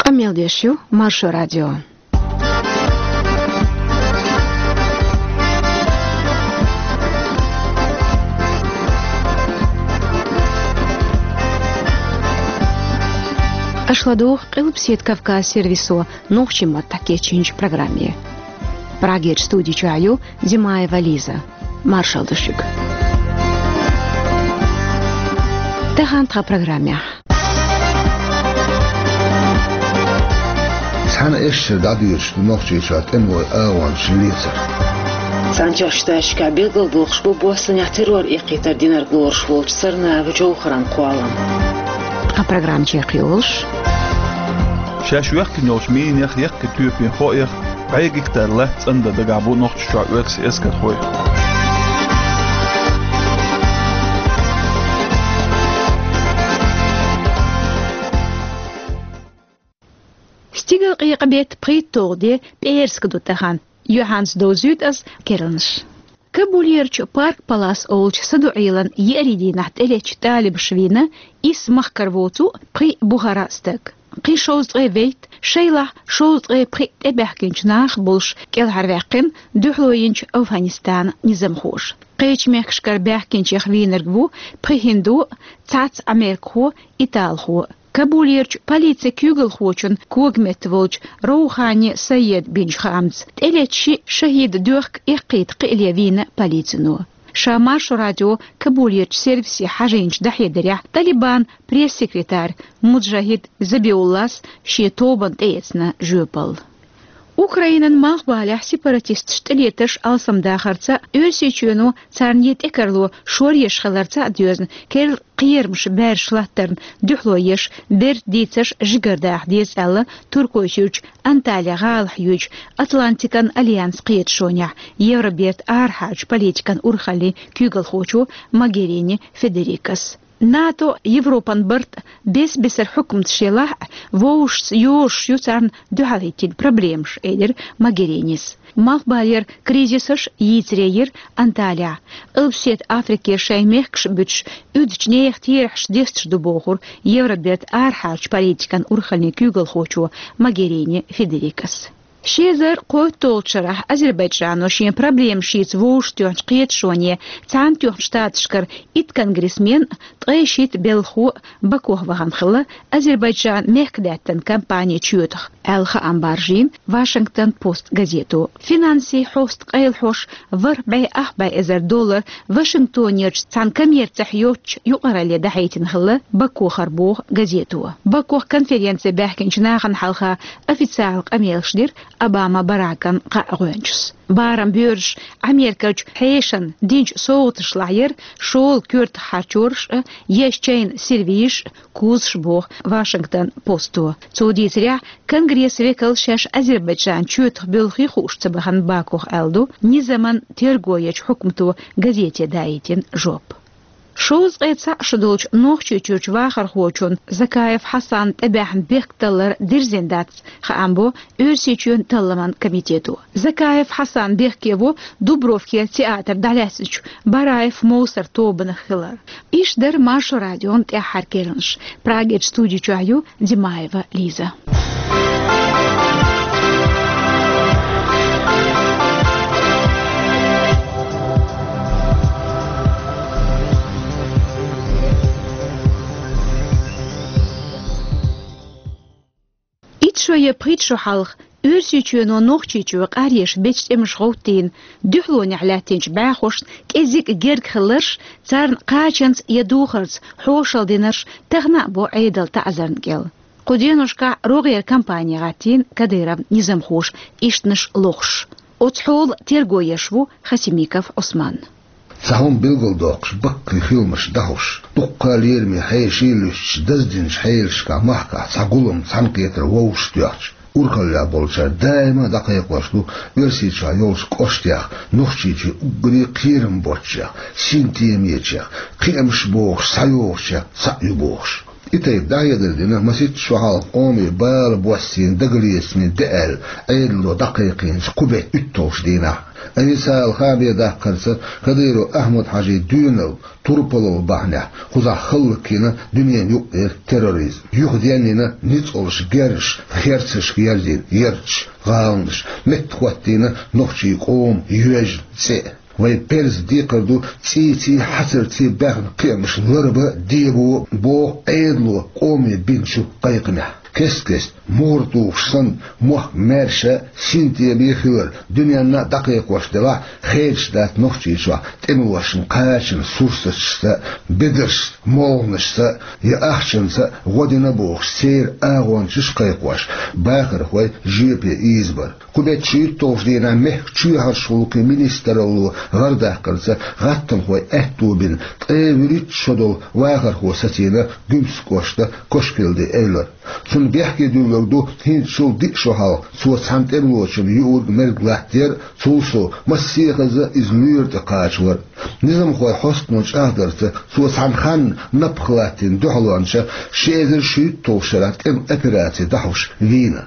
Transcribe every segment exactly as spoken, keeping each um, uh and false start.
Къамел деш ю Маршо радио. Аша ладугӀу Къилбаседа Кавказ сервисо нохчийн маттахь кечйинчу программе. Прагерчу студи чохь ю Димаева Лиза. Маршалла ду шуьга. Тахана тхан программехь. Цхьана эшшара дӀадоьдуш ду Нохчийчохь тӀемалойн агӀончашна лецар. Цхьаьнатоьхначу Штаташкахь билгалдоккхуш бу боссанехь террор эккхийтар динарг лоруш волчу Сарнаева Джовхаран кхоллам. Тхан программа чекхйолуш. Шаьш йоьхкина йолчу минех, яккхий тоьпийн хоах, бӀе гектар латта цӀандан дагахь бу Нохчийчохь оьрсийн эскархой. Стигалкъекъа-беттан пхийтталгӀа де, пӀераска ду тахана. Юьхьанца довзуьйту ас керланаш. Кабулерчу Парк Палас олучу садоӀелан еарин дийнахь тӀелеттачу талибаша вийна исс махкара воцу пхи бухара стаг. Кхин шовзткъе вейтта, шайлахь шовзткъе пхи тӀебаьхкинчу наха болуш кӀелхьарваьккхина дуьхьало йинчу Афганистанан низамхоша. Кхечу мехкашкара баьхкинчех вийнарг ву пхи хӀинду, цхьацца америкахо, италхо. Кабулерчу полицин куьйгалхочун когаметта волчу Роухани Саеда бинчу хаамца, тӀелетта шиъ шахӀидан доьхка эккхийта кхиале вийна полицино. Ша Маршо радион Кабулерчу сервисе хьажийначу дӀахьедарехь, Талибан пресс-секретарь Муджахид Забиуллас шен тобанна тӀеэцна жоьпалла. Украинан малхбалехь сепаратисташа тӀелетарш алсамдахарца, Оьрсийчоьно царна тӀекарло шоръеш хиларца а доьзна, керла кхерамаш баьржаш латтарна дуьхьало еш, берда дийцарш жигардаха деза аьлла Туркойчуьрчу Анталия гӀалахь юьйчу Атлантикан альянсан кхеташонехь Евробертан арахьарчу политикан урхаллин куьйгалхочо Могерини Федерикас. НАТО, Европан барт, бес-бесара хьукматаш елахь а, вовшашца йозуш ю царна дуьхьал хӀиттийна проблемаш, элира Могеринис. Малхбалера кризисаш йийцаре йира Анталия. Къилбаседа Африкера шайн мехкаш буьтуш, уьдучу нехан терахьаш десташ ду бохура Евробертан арахьарчу политикан урхаллин куьйгалхочо Могерини Федерикас. Ши эзар кхойтталгӀачу шарахь Азербайджано шен проблемаш йийца вовшахтоьхначу кхеташоне, Цхьаьнатоьхначу Штаташкара итт конгрессмен, ткъе шийтта белхахо Бакух вахана хилла Азербайджанан мехкадаьттан кампанин чоьтах, аьлла хаам баржийна Вашингтон Пост газето. Финансийн хьоста къайлахьош ворхӀ бӀе ах бӀе эзар доллар Вашингтонерчу цхьана коммерцехь йоцучу юкъаралле дӀахьийтина хилла Бакухара, боху газето. Бакух конференце баьхкинчу нахана хьалха официалан къамелаш дира Обама Баракан кхаа гӀоьнчас. Барам боьрзуш Америкерчу хьешана динчу совгӀаташлахь яра шола коьртах харчораш а, еш чайна сервизаш а, кузаш, боху Вашингтон Посто. Цо дийцарехь, Конгрессан векалш шаьш Азербайджанан чоьтах буьлхий хууш ца бахана Бакух аьлла ду низаман терго ечу хьукмато газете даийтина жоп. Шовзткъе цхьаъ шо долчу Нохчийчуьрчу вахархочун Закаев Хьасанан тӀебаьхьна бехкталлар дирзина дац, хаам бо Оьрсийчоьнан талламан комитето. Закаев Хьасан бехке ву Дубровкера театр дӀалаьцначу Бараев Мовсар тобанах хилар. Иштта дара Маршо радион тӀаьххьара керланаш. Прагерчу студи чохь ю Димаева Лиза. Итт шо я пхийтта шо хьалха Оьрсийчоьно Нохчийчоь къаръеш бечу тӀемаша гӀовттийна, дуьхьалонехь лаьттинчу бӀаьхошна кӀезиг герга хилларш, царна кхачанца я духарца хьошалла динарш тахана а бу Ӏедалан таӀзарна кӀел. Кху деношкахь рогӀера кампани гӀаттийна Кадыровн низамхоша, ишттанаш лохуш. Оцу хьолан терго еш ву Хасимиков Ӏусман. Цхьа хӀума билгалдоккхуш, баккхий хиламаш дӀахьош, дуккха а лераме хьеший а луьстуш, даздинчу хьелашкахь махкахь цхьа гулам, цхьаьнакхетар вовшахтоьхча, урхаллехь болчара даима а дӀакхайкхош ду Оьрсийчохь йолчу кӀоштех, Нохчийчоь уггаре а кхерам боцчех, синтемечех, кхиамаш бохуш, схьайогӀучех цхьаъ ю бохуш. И тайпа дӀахьедар дина масийтта шо хьалха къоме бала боссийна дагалецамаш да аьлла, Ӏедало дӀакхайкхийначу кху беттан уьтталгӀачу дийнахь. Айсала хааман даккхарца, Кадыров Ахьмад-Хьажин доьналла, турпалалла бахьанехь, кхузахь хӀаллакйина дуьненан юкъара терроризм. Юхаденна ницкъаллаш, герзаш, херцашка ерзийна ярташ, гӀаланаш, меттахӀоттийна нохчийн къоман йоьжна цӀе. Вайн перзан декхар ду цӀийций, хьацарций баьхна кхиамаш ларбан, дебан, боху Ӏедало къоме бинчу кхайкхамехь. Кест-кеста, мур тухуш санна, мохк маьрша а, синтеме а хилар дуьненна а дӀакхайкхош делахь а, хедаш дац Нохчийчохь тӀемалошна кхачанан сурсаташца а, бедаршца а, молханашца а, я ахчанца а гӀо дина бохуш, церан агӀончаш а кхайкхош, бахархой жоьпе ийзабар. Кху беттан шийтталгӀачу дийнахь мехкан чоьхьарчу гӀуллакхийн министралло гӀардаккхарца, гӀаттамхойн аьтто бина, ткъе вуьрхӀитта шо долу вахархо сацийна Гуьмсан кӀоштан Кошкилди Эвлара. Цунна бехке дуьллург ду хӀинцачул диъ шо хьалха цо цхьана тӀемалочунна юург-мерг латтаяр а, цул сов массехаза иза лоьра тӀе кхачавар а. Низамхойн хьостано чӀагӀдарца, цо цхьана ханна напха латтийна дуьхьалонча ши эзар шийтталгӀачу шарахь тӀеман операци дӀахьош вийна.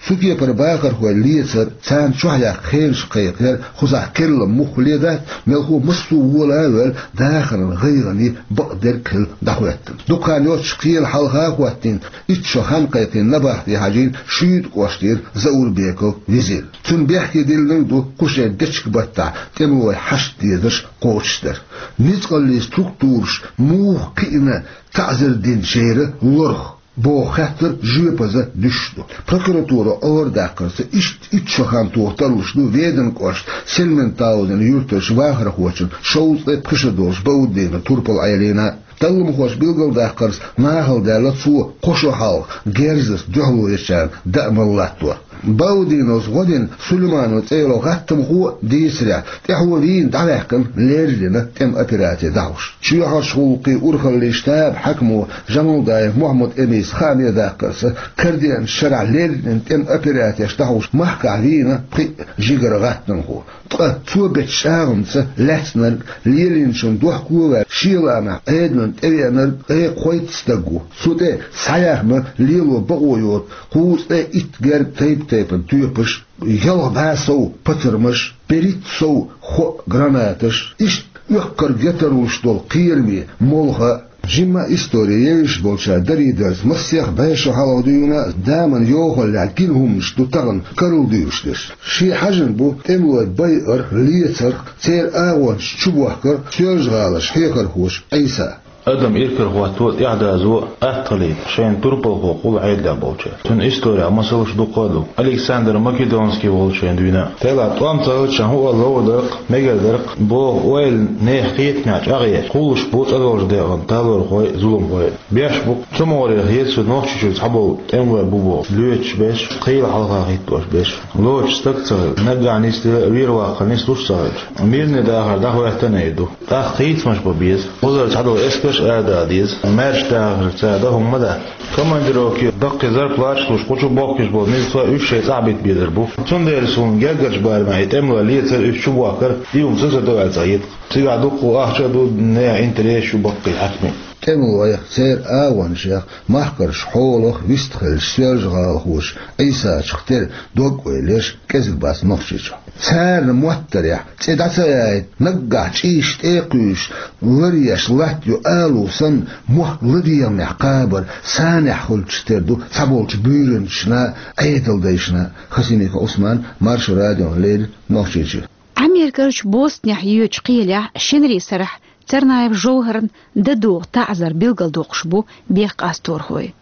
Цу кепара бахархой лецар, царна чохь яккха хенаш кхайкхаяр кхузахь керланаш муххале дац, мелхо массо а вола а ваьлла, дахаран гӀайгӀанийн бакъдерг а хилла дӀахӀоьттина. Дукха хан йоццуш кхелан хьалха а хӀоттийна, итт шо хан кхайкхийна набахти хьажийна Шуьйта кӀоштара Заурбеков Визир. Цунна бехке диллинарг ду кху шеран дечиг-баттахь тӀемалойн хьашт дезарш кхочушдар. Ницкъаллийн структураша муха кхиъна таӀзар динчеран лорах боху хаттар жоьпаза дуьсуш ду. Прокуратуро гӀардаккхарца, иштта итт шо хан тоха тарлуш ду Веданан кӀоштан Сельментаузен юьртарчу вахархочун шовзткъе пхи шо долчу Бауддинов турпал Ӏелийна. Талламхоша билгалдаккхарца, нахала даьлла цо кхо шо хьалха герзаца дуьхьало ечарна даа мала латтор. Баудиновс гӀо дина Сулейманов цӀе йолу гӀаттамхо а дийцарехь, тӀаьхьо вийна дӀаваьккхина леррина тӀеман операци дӀахьош. Чоьхьарчу гӀуллакхийн урхаллин штабан хьаькамо Жамалдаев Мухьаммад-Эмис хааман даккхарца, карадеанчу шарахь леррина тӀеман операцеш дӀахьош махкахь вийна пхиъ жигара гӀаттамхо. Ткъа цо бечу чӀагӀамца лаьцнарг, лелийначунна дохко а ваьлла, шен лаамехь Ӏедална тӀевеанарг ткъе кхойтта стаг ву. Цу тӀе схьаяьхна лело бакъо йоцу кхузткъе итт герга тайп-тайпана тоьпаш, ялх бӀе сов пацармаш, берхӀитта сов хоа гранаташ, иштта оьхкарг я тарлуш долу кхераме молха а. Жимма а истори евзаш болчара дарийдарца, массех бӀе шо хьалха дуьйна а, заманан йовхаллехь гина хӀуманаш ду тахана карладуьйлуш дерш. Шен хьаьжна бу тӀемалой байарх, лецарх, церан агӀончаш чубохкарх Соьлжа-ГӀаларчу хьехархоша Ӏийса. Адам иракарахӀотто, тӀаьхьадазо, атталийта шайна турпалхо къула Ӏедалехь болчара. Цуьнан исторехь масалш дуккха а ду. Александр Македонский волчу шайна дуьйна а. Тела тӀом ца хилча, хӀуъа ловр дара-кх, мегар дара-кх, боху ойла нехан кхетамехь чӀагӀъеш, кхуллуш бу цӀа долчу декъана талорхой а, зуламхой а. Беш бу-кх, цу могӀаре хета соьга Нохчийчуьра цхьаболу тӀемалой бу боху, лоьцуш берш, кхелан хьалха хӀиттош берш. Лоцуш стаг ца хилла, наггахь нисделла а, вер-ваккхал нислуш а ца хилча, мирный дахар дӀахӀоьттина а ду. ТӀаккха хийцамаш бан беза. Кхузара цхьадолу эскарш а ара дала деза. Маьрша дахарца цара дан хӀума ма дац. Командировке даккхий зарплаташ луш, кху чу бохкуш болу милица уьш шайн цӀахь бита безар бу. Цундела суна гергарчу барамехь и тӀемалой лецар, уьш чубохкар, и хӀума ца, ца до аьлла цӀахьитта-кх. Цигахь дуккха а ахча а ду, нехан интересаш ю баккхий хьаькамийн. ТӀемалойх, церан агӀончех, махкарчу хьолах вистхиллачу соьлжа-гӀалахочу Ӏийсачух тера дог-ойла еш кӀезиг бац Нохчийчохь. Царна моттарехь, цӀе дӀа ца яйта, наггахь чӀийш тӀе а кхуьйсуш, ларъеш латтайо алу санна, мохк ладегӀамехь кхабар санехь хуьлучух тера ду цхьаболчу буьйранчашна а, Ӏедалдайшна а. Хасимиков Ӏусман, Маршо радиона леррина, Нохчийчуьра. Америкерчу Бостонехь йоьдучу кхелехь шинарин сарахь Царнаев Жовхарна дан догӀу таӀзар билгалдоккхуш бу бехккъасторхой.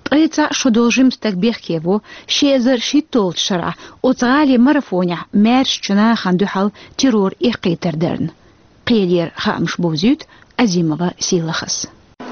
Ткъе цхьаъ шо долу жима стаг бехке во ши эзар шийтталгӀачу шарахь оцу гӀалин марафонехь маьршачу нахана дуьхьал террор эккхийтар дарна. Кхелера хаамаш бовзуьйту Азимова Сийлахьас.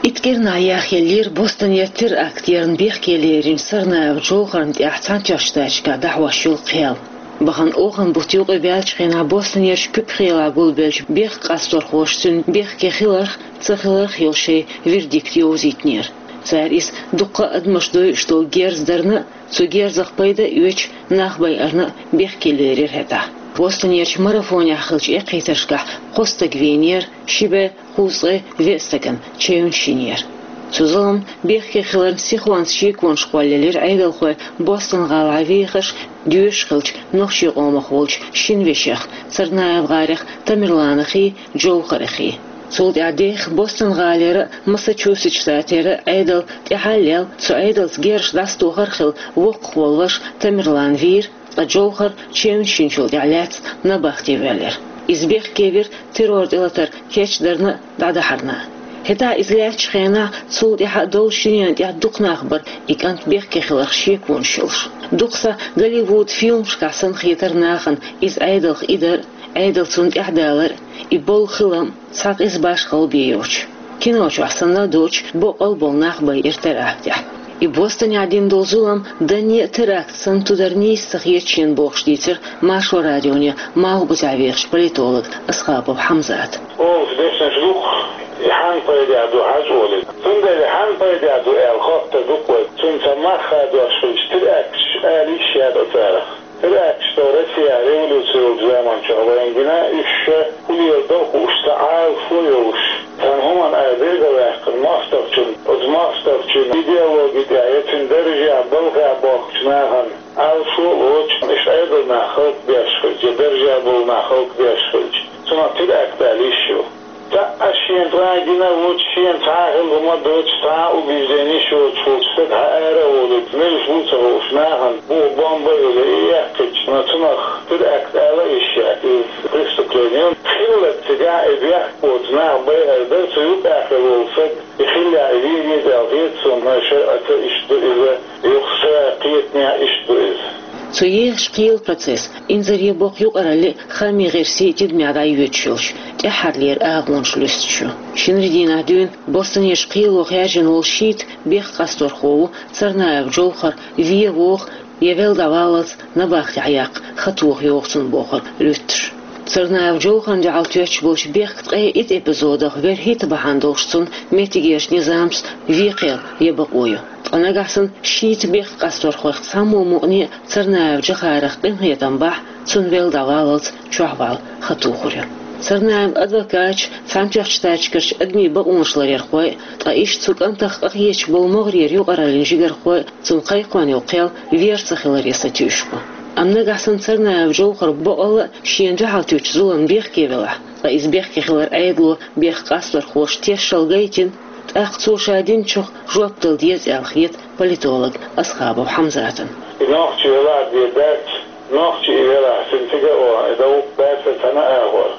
Итт кӀирнахь яхъеллера Бостонера теракт ярна бехке леринчу Царнаев Жовхарна тӀехь Цхьаьнатоьхначу Штаташкахь дӀахьош йолу кхел. Бахана оханан бутт юкъа баьллачу хенахь Бостонерчу Куьпа-ХӀелахь гулбеллачу бехккъасторхоша цуьнан бехке хиларх а, ца хиларх а йолу шайн вердикт йовзийтинера. Цара иза дуккха а адамаш дойуш долу герз дарна а, цу герзах пайда а оьцуш, нах байарна а бехке лерира хӀетахь. Бостонерчу марафонехь хиллачу эккхийтаршкахь кхо стаг вийнера, ши бӀе кхузткъе веа стагана чевнаш йинера. Цу зуламна бехке хиларна сихонца шеконаш кхоллаелира Ӏедалхой Бостон-гӀалахьа вехаш, доьшуш хилча нохчийн къомах волчу шина вешех, Царнаев-гӀарех Тамерланах а, Джовхарах а. Цул тӀаьхьа дехха Бостон-гӀалера а, Массачусетс штатера а Ӏедал тӀаьхьа а лелла, цу Ӏедалца герзаш дӀасатохар а хилла, воккхах волу ваша Тамерлан вийра, ткъа Джовхар чевнаш йинчул тӀаьхьа лаьцна набахте воьллира. Иза бехке вира террор тӀелатар кечдарна а, дӀадахьарна а. ХӀетахь иза лаьттачу хенахь, цул тӀаьхьа а долчу дуьненна тӀехь дукха нах бара и кӀант бехке хиларх шеконаш йолуш. Дукха сахь Голливуд фильмашкахь санна хетара нахана иза Ӏедалх и дар а, Ӏедал цунна тӀаьхьадалар а, и болу хилам а цхьа къиза башхалла бен йоцуш. Кино чохь санна а доцуш, боккъал а болу нах байира терактехь. И Бостонехь дина долу зулам данне а теракт санна ту дар нийса ца хета шена бохуш дийцира Маршо радионе Малхбузехь вехачу политолога Асхабов Хьамзата. Олуш дешнаш дукха, и хьанна пайда ду хьажа олий. Цундела хьанна пайда ду аьлла хоттур ду-кх вай. Цунна ца мах хадош хилча, теракташ ала йиш яц царах. Теракташ тӀо Россия революци йолчу заманчохь вайна гина, уьш ша хӀун леладо хууш, цхьа Ӏалашо йолуш, цхьана хӀуманна ара берг а ваьккхина, мостагӀчун, оцу мостагӀчун идеологи тӀехь я цуьнан даржехь, балхехь бохкучу нахана Ӏалашо а лоцуш, иштта Ӏедалан нах хӀаллакбеш хилча, я даржехь болу нах хӀаллакбеш хилча, цунах теракт ала йиш ю. Цхьаъ шена цкъа а гина воцуш, шена цхьа а хилла хӀума доцуш, цхьа а убежденеш йоцуш волчу стага хьаара а волуьйтуш, муьлш ву а ца хууш, нахана бухахь бомба а йолий, и яьккхича, цунах теракт ала а йиш яц, иза преступление ю. Хиллалц цигахь и бехк боцу нах байар дара, цу юкъахь хилла волу стаг и хиллехь, и вийр еза аьлла хета суна, но шарӀаца иштта ду иза, юха сан кхетамехь иштта ду иза. Цу ехачу кхелан процесс, инзаре боккха юкъаралли а, хаамийн гӀирсийн тидамехь дӀайоьдуш йолчу тӀаьххьарлера агӀонаш луьстуш ю. Шинарин дийнахь дуьйна Бостонерчу кхело хаьржина волу шийтта бехк къасторхо ву Царнаев Джовхар, вен вогӀу я велла дӀаваллалц набахтехь яккха хан тоха йогӀу цунна бохург луьттуш. Царнаев Джовхарна дуьхьал тоьттуш болчу бехкан ткъе итт эпизодах вуьрхӀитта бахьана долуш цунна меттигерчу низамца вен кхел ян бакъо ю. Ткъа нагахь санна шийтта бехк къасторхойх цхьаммо мукъане а Царнаев Джохарах къинхетам бахь, цунна велла дӀаваллалц чохь вала хан тухур ю. Царнаевн адвокаташ, Цхьаьнатоьхначу Штаташкарчу адамийн бакъонаш ларъярхой, ткъа иштта цу кӀантах къахеташ болу могӀарера юкъараллин жигархой цунна кхайкхош йолу кхел вер ца хиларе сатуьйсуш бу. Амма нагахь санна Царнаев Джовхар бакъалла а шена дуьхьал туьттучу зуламна бехке велахь, ткъа иза бехке хилар Ӏедало бехк къасторхоша тешшал гайтина, тӀаккха цо ша динчух жоп дала деза аьлла хета политолог Асхабов Хьамзатана. И нохчи велахь а деза дац, нохчи и велахь, цуьнан цига а вахана, и дан вукху бацара цхьана а агӀор.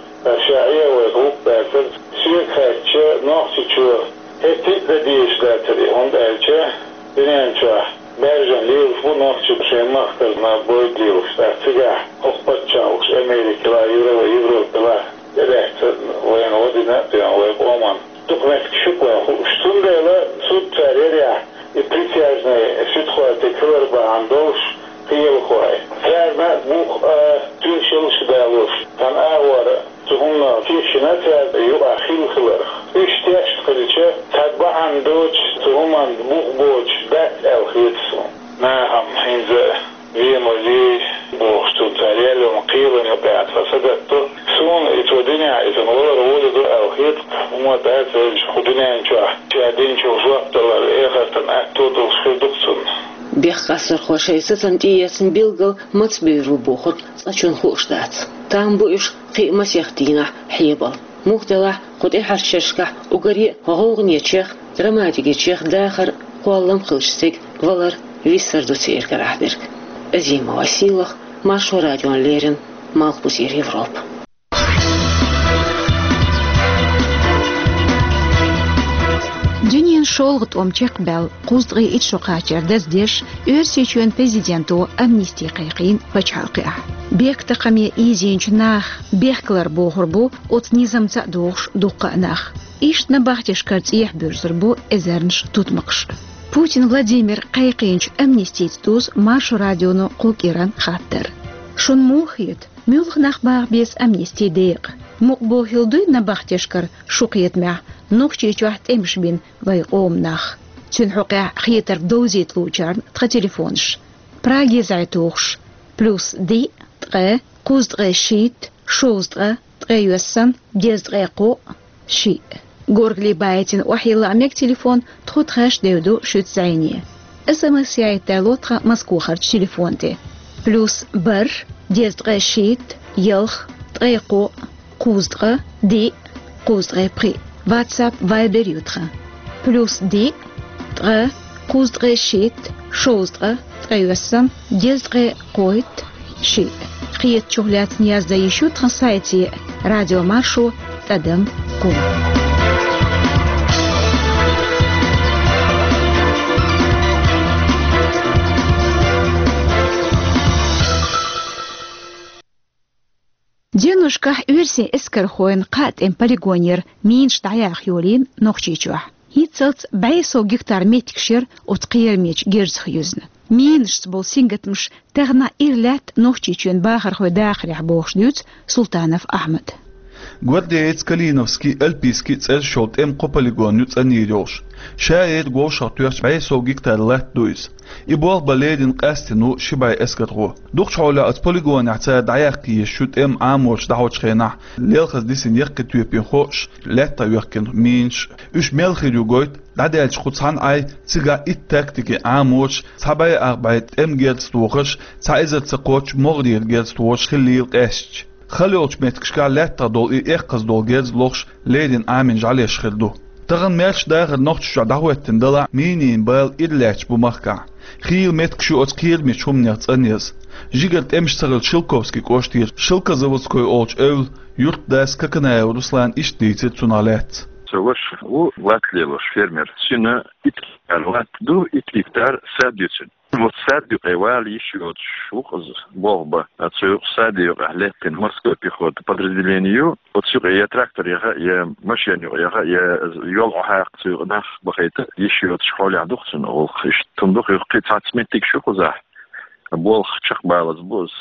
Ша Ӏе а вайта вукху бацара, соьга хаьттича, нохчичо хӀетте а дан дезаш дацара и, хӀунда аьлча дуьнен чохь баьржина лелаш бу нохчий шайн махкарна бойда лелаш, тӀаккха цигахь хӀокху паччахьаш, Америкала, Евро-, Европала, тӀелаьцна вайна гӀо дина а доьгӀна вайн къоман. Дукха меттигаш ю-кх вайна хууш. Цундела суд цара ярехь, и присяжный суьдхой тӀе хилар бахьана долуш кхелахой. Царна а бух а, тоьшаллаш а далош, цхьана агӀор цу хӀуманах тешна цара юкъахь хилла хиларх. Уьш тешна хилча, цхьа бахьана доцуш цу хӀуманна бух боцуш дац аьлла хета суна. Нахам хӀинца вен ма вей бохуш, цунна цара яьллачу кхелан юкъахь тхан сагатдо. Суна и цо динехь, и цунна валар волуьйту аьлла хета, хӀума дац аьлча, кху дуьнен чохь ша динчух жоп далар эхартан аьтто долуш хир ду-кх цунна. Бехк къасторхо шайн сацам тӀеэцна билггал мацбевр ву бохург цкъачунна хууш дац. Там бу уьш кхин а масех дийнахь хьебала. Муха делахь, кху тӀаьхьарчу шерашкахь уггаре а гӀовгӀанечех, драматикичех дахар а, кхоллам а хилча стеган валар виссар ду церан карахь дерг. Азимова Сийлаха, Маршо радиона леррина, Малхбузера Европа. Дуьненан шолгӀа тӀом чекхбаьлла кхузткъе итт шо кхачар даздеш, Оьрсийчоьнан президенто амнисти кхайкхийна пачхьалкхехь. Бехктакхаме ийзийначу наха бехкалар бохур бу оцу низамца а догӀуш дуккха а нах. Иштта набахтешкара цӀехьа буьрсур бу эзарнаш тутмакхаш. Путин Владимира кхайкхийначу амнистица дузу Маршо радионо кху кӀиран хаттар. Шуна муха хета, муьлха нах баха беза амнисти декъа? Мукъа бохийла дуй набахтешкара шун кхетамехь Нохчийчохь тӀемаш бина вайн къоман нах? Цуьнан хьокъехь хетарг довзийта луучарна тхан телефонаш. Праге зӀе тухуш: плюс диъ, ткъе, кхузткъе шийтта, шовзткъе, ткъе йоьссан, дезткъе кхоъ, шиъ. Горгали байтина охьайилла мега телефон, тхо тхаьш девду шуьца зӀене. СМС яйта ло тхан Москвахарчу телефон тӀе. Плюс бархӀ, дезткъе шийтта, ялх, ткъе кхоъ, кхузткъа, диъ, кхузткъе пхиъ. WhatsApp, Viber ю тхан. Плюс диъ, ткъа, кхузткъе шийтта, шовзткъа, ткъе ялх, дезткъе кхойтта, шиъ. Кхетачух лаьцна яздан йиш ю тхан сайте радиомаршо тӀадам ком. Деношкахь оьрсийн эскархойн кхаа тӀеман полигонера минаш дӀаяха йолийна Нохчийчохь. ХӀинццалц бӀе сов гектар меттигаш яра оцу кхерамечу герзах юьзна. Минашца болу сингаттамаш тахана ира лаьтта Нохчийчоьнан бахархойн дахарехь бохуш дуьйцу Султанов Ахьмада. Гвардеец, Калиновский, Альпийский цӀераш йолу тӀеман кхо полигон ю цӀанйийр йолуш. Ша эр говшах тоьхча бӀе сов гектар латта ду иза. И болх бан лерина къаьстина ву ши бӀе эскархо. Дукхачу хьолехь оцу полигонехь цара дӀаяккха езаш ю тӀеман Ӏаморш дӀахьочу хенахь лелхаза дисина яккхий тоьпийн хойш, лаьттах йоьхкина минаш. Уьш мел хир ю гойту, дӀадаьлча кху цхьана Ӏай цигахь итт тактикин Ӏаморш, цхьа бӀе ах бӀе тӀеман герз тохарш, цхьа эзар ца кхоччу могӀарера герз тохарш хиллийла къаьсташ. Хала йолчу меттигашкахь лаьттах долу и эккхаза долу герз лохуш леррина Ӏамийна жӀаьлеш хир ду. Тахана маьрша дахар Нохчийчохь дӀахӀоьттина далахь, минийн бала ира лаьтташ бу махкахь. Хийла меттигаш ю оцу кхерамечу хӀуманех цӀанъяза. Жигара тӀемаш ца хилча Шелковский кӀоштера Шелкозаводской олучу эвла юьртдас Коканаев Руслана иштта дийцира цунах лаьцна. Со ваша ву латта лелош, фермер. Шена итт гектар латта ду, итт гектар сад ю цуьнан. Вот сад юкъе вала йиш йоцуш ву-кх иза болх бан. Цу юкъа, саде юкъехь лаьттина морской пехота подразделение ю. Оцу юкъе я трактор яха, я машен юкъа яха, я йол Ӏохьакха, цу юкъа нах бахийта йиш йоцуш хьолехь ду-кх цуьнан гӀуллакх. Иштта хӀума ду-кх, кхин цхьацца меттигаш ю кхузахь. Болх чекхбалаза бу иза.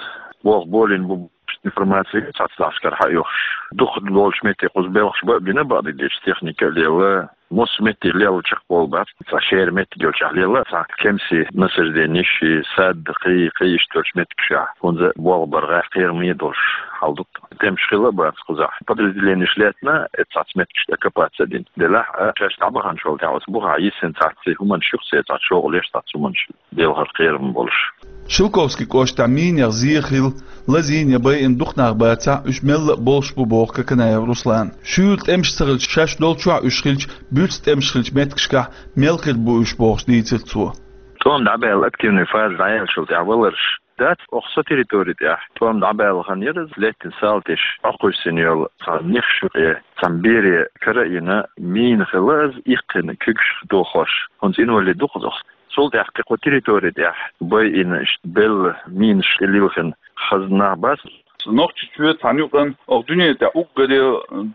Болх болийна бу. Информаци цхьацца дӀахьашкара хьаоьхуш. Дукхах долчу метте кхуза белхаш бан а бина, бакъдерг дийцича, техника а лела, массо а метте лелла чекхбовла бац, цхьа шера меттиг йолчохь лелла, цхьа кемсийн насажденеш, сад, кхин, кхин иштта йолчу меттигашкахь. ХӀунда болх бар гӀайгӀа, кхераме а долуш хьал ду-кх. ТӀемаш хилла а бац кхузахь. Подразделенеш лаьцна, э, цхьацца меттигашка оккупаци а дина. Делахь а, шаьш дӀабаханчул тӀаьхьа оцу бухахь йисина цхьацца хӀуманаш ю-кх, цхьацца чӀогӀа леш цхьацца хӀуманаш. Белхар кхерам болуш. Шелковский кӀоштехь минех зен хилла, лазийна я байина дукха нах бацахь, уьш мелла а болуш бу, боху Коканаев Руслана. Шуьйра тӀемаш ца хилча, шаьш долчохь уьш хилча, буьрса тӀемаш хилчу меттигашкахь мел хир бу уьш, бохуш дийцира цо. ТӀом дӀабаьлла, активный фаза дӀаяьллачул тӀаьхьа валарш дац, оха со территори тӀехь тӀом дӀабаьлла хан яра иза, лаьттина салтиш Ӏокхуьссина йолу цхьа нехаш юкъе, цхьана бере кара а йина, мина хилла иза, иккхина куьгаш дохош, хӀунда инвалид ду-кх иза оха. Цул тӀаьхьа кхин кху территори тӀехь байина, иштта белла, минаш тӀе лилхина хаза нах бац. Нохчийчоь цхьана юкъана оха дуьне тӀехь уггаре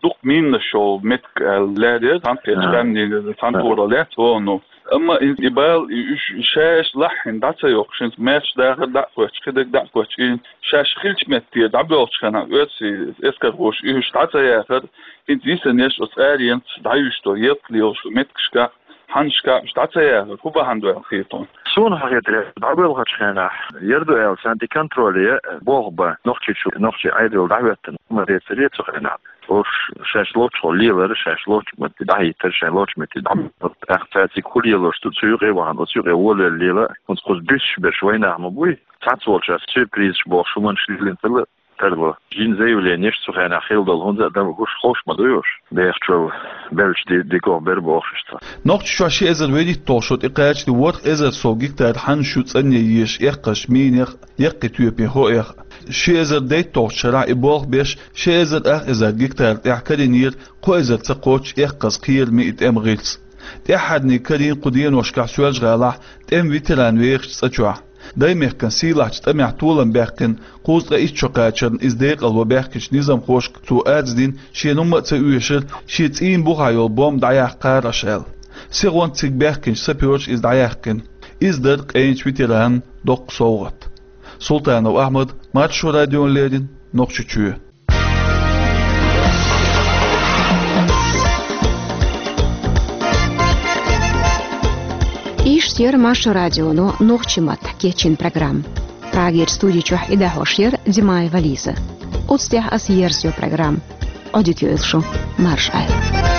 дукха минаш йолу меттиг аьлла лаьрра, цхьана кхечу къаьмнийн цхьана тора лаьцна вогӀу. Амма и, и бала, и уьш шаьш лахьина дӀа ца йоккхуш, хӀинца маьрша дахар дӀа а кхоьттуш, кхидерг дӀа а кхоьттуш, и шаьш хилчу метте дӀабоьлхучу хенахь оьрсийн эскархоша и уьш дӀа ца яхара, хӀинца йисина еш оцу аренца дӀаюьйш долу, ялта лелаш долу меттигашкахь, хьаннашкахь уьш дӀа ца яхара, хӀун бахьана ду аьлла хета хьуна? Суна хьахетарехь, дӀабоьлхучу хенахь яра ду аьлла, царна тӀе контроле болх бан, Нохчийчу, нохчийн Ӏедал дӀахӀоьттина хӀума дацаре цу хенахь. Уьш шаьш лоцчохь лелара, шаьш лоцчу метте дӀахӀиттара, шаьш лоцчу метте дӀа-, тӀаккха цаьрца хӀун лелош ду, цу юкъе а вахана, оцу юкъе волавелла лела, хӀинца кхуза буьсуш берш вайнах ма буй. Цхьацца волчаьрца сюрпризаш бохуш хӀуманаш лелийна хилла, тарло. Жин заявленеш цу хенахь хилла долу, хӀунда аьлча уьш ховш ма дуй уьш. Бехачул беллачу ди-, дикох бер бохуш иштта. Нохчийчохь ши эзар вуьрхӀитталгӀа шо тӀекхачале ворхӀ эзар сов гектар хьаннаш ю цӀанъян езаш, эккхазчу минех, яккхий тоьпийн хоэха. Ши эзар дейтталгӀачу шарахь и болх беш, ши эзар ах эзар гектар тӀехь карийнера кхо эзар ца кхоччуш эккхаза, кхераме и тӀеман гӀирс. ТӀаьххьарниг карийна кху деношкахь Соьлжа-ГӀалахь тӀеман ветеран вехачу цӀа чохь. Даймехкан сийлахьчу тӀамехь толам баьккхина, кхузткъе итт шо кхачарна иза декъалван баьхкинчу низамхошка цо арз дина, шена хӀумма а ца оьшура, шен цӀийнан бухахь йолу бомба дӀаяккха кхараш аьлла. Сихонца цига баьхкинчу сапёраша иза дӀаяьккхина. Иза дара къайначу ветеранна доккха совгӀат. Султанов Ахьмад, Маршо радиона леррина, Нохчийчоь. Иштта яра Маршо радионо нохчийн маттахь кечйина программа. Прагера студи чохь и дӀахьош яра Димаева Лиза. Оцу тӀехь ас ерзайо программа. Ӏодика йойла шун, марша Ӏойла.